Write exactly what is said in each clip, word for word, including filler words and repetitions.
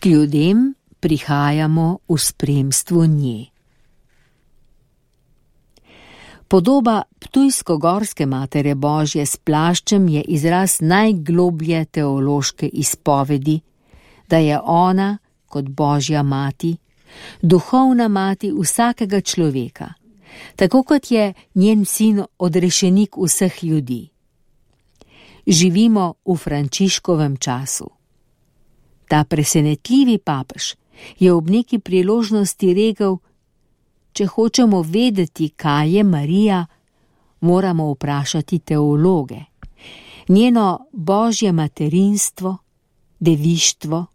K ljudem prihajamo v spremstvu nje. Podoba ptujsko-gorske Matere Božje s plaščem je izraz najgloblje teološke izpovedi, da je ona, kot Božja mati, duhovna mati vsakega človeka, tako kot je njen sin odrešenik vseh ljudi. Živimo v Frančiškovem času. Ta presenetljivi papež je ob neki priložnosti rekel: če hočemo vedeti, kaj je Marija, moramo vprašati teologe. Njeno božje materinstvo, devištvo,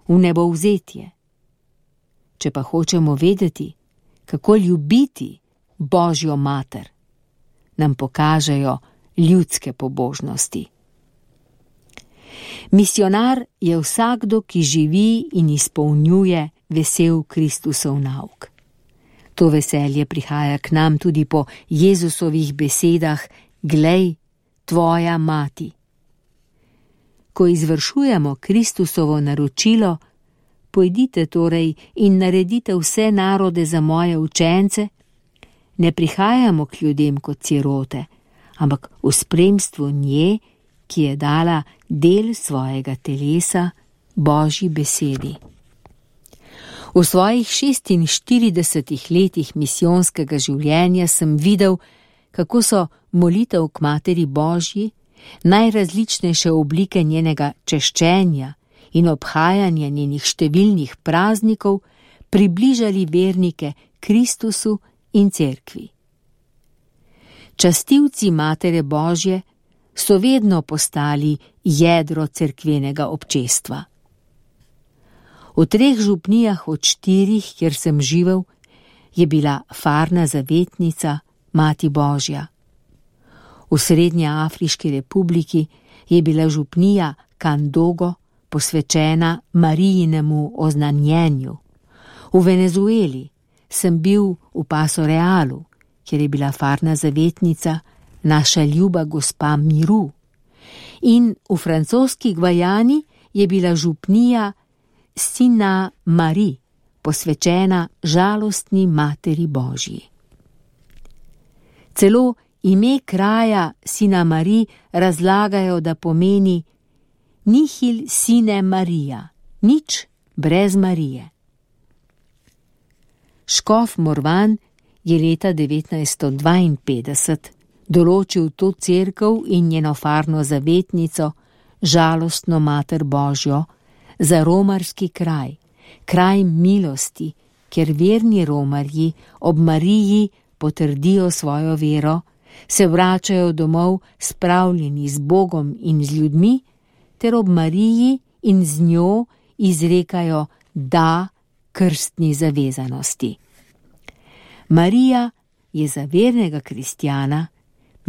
vnebovzetje. Če pa hočemo vedeti, kako ljubiti Božjo mater, nam pokažejo ljudske pobožnosti. Misionar je vsakdo, ki živi in izpolnjuje vesel Kristusov nauk. To veselje prihaja k nam tudi po Jezusovih besedah: glej, tvoja mati. Ko izvršujemo Kristusovo naročilo: pojdite torej in naredite vse narode za moje učence, ne prihajamo k ljudem kot sirote, ampak v spremstvu nje, ki je dala del svojega telesa Božji besedi. V svojih šestinštiridesetih letih misijonskega življenja sem videl, kako so molitev k Materi Božji, najrazličnejše oblike njenega češčenja in obhajanja njenih številnih praznikov približali vernike Kristusu in cerkvi. Častilci Matere Božje so vedno postali jedro cerkvenega občestva. V treh župnijah od štirih, kjer sem živel, je bila farna zavetnica Mati Božja. V Srednjeafriški republiki je bila župnija Kandogo posvečena Marijinemu oznanjenju. V Venezueli sem bil v Paso Realu, kjer je bila farna zavetnica naša ljuba gospa miru. In v francoski Gvajani je bila župnija Sina Mari, posvečena žalostni Materi Božji. Celo ime kraja Sina Mari razlagajo, da pomeni nihil sine Marija, nič brez Marije. Škof Morvan je leta devetnajststo dvainpetdeset določil to cerkev in njeno farno zavetnico, žalostno Mater Božjo, za romarski kraj, kraj milosti, kjer verni romarji ob Mariji potrdijo svojo vero, se vračajo domov spravljeni z Bogom in z ljudmi, ter ob Mariji in z njo izrekajo da krstni zavezanosti. Marija je za vernega kristjana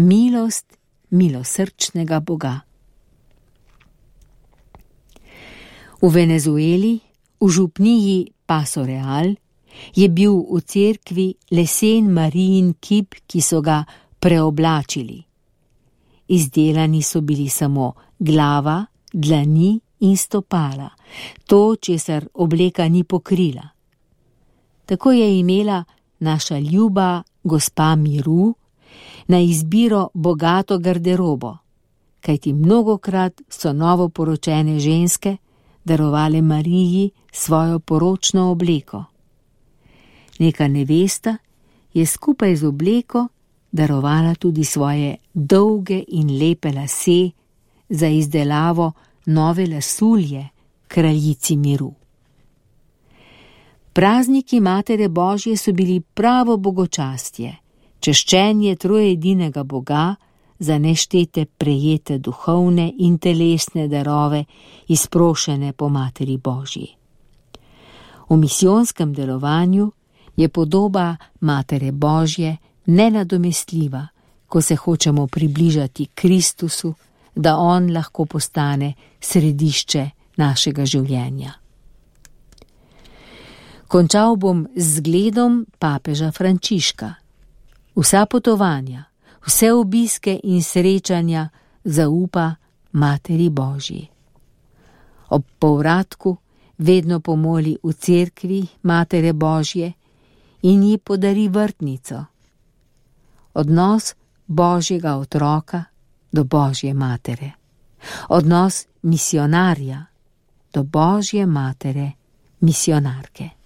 milost milosrčnega Boga. V Venezueli, v župniji Paso Real, je bil v cerkvi lesen Marijin kip, ki so ga preoblačili. Izdelani so bili samo glava, dlani in stopala, to, česar obleka ni pokrila. Tako je imela naša ljuba gospa miru na izbiro bogato garderobo, kajti mnogokrat so novoporočene ženske darovale Mariji svojo poročno obleko. Neka nevesta je skupaj z obleko darovala tudi svoje dolge in lepe lase za izdelavo nove lasulje kraljici miru. Prazniki Matere Božje so bili pravo bogočastje, češčenje trojedinega Boga za neštete prejete duhovne in telesne darove, izprošene po Materi Božji. V misijonskem delovanju je podoba Matere Božje nenadomestljiva, ko se hočemo približati Kristusu, da on lahko postane središče našega življenja. Končal bom z zgledom papeža Frančiška. Vsa potovanja, vse obiske in srečanja zaupa Materi Božji. Ob povratku vedno pomoli v cerkvi Matere Božje in ji podari vrtnico. Odnos Božjega otroka do Božje matere. Odnos misionarja do Božje matere, misionarke.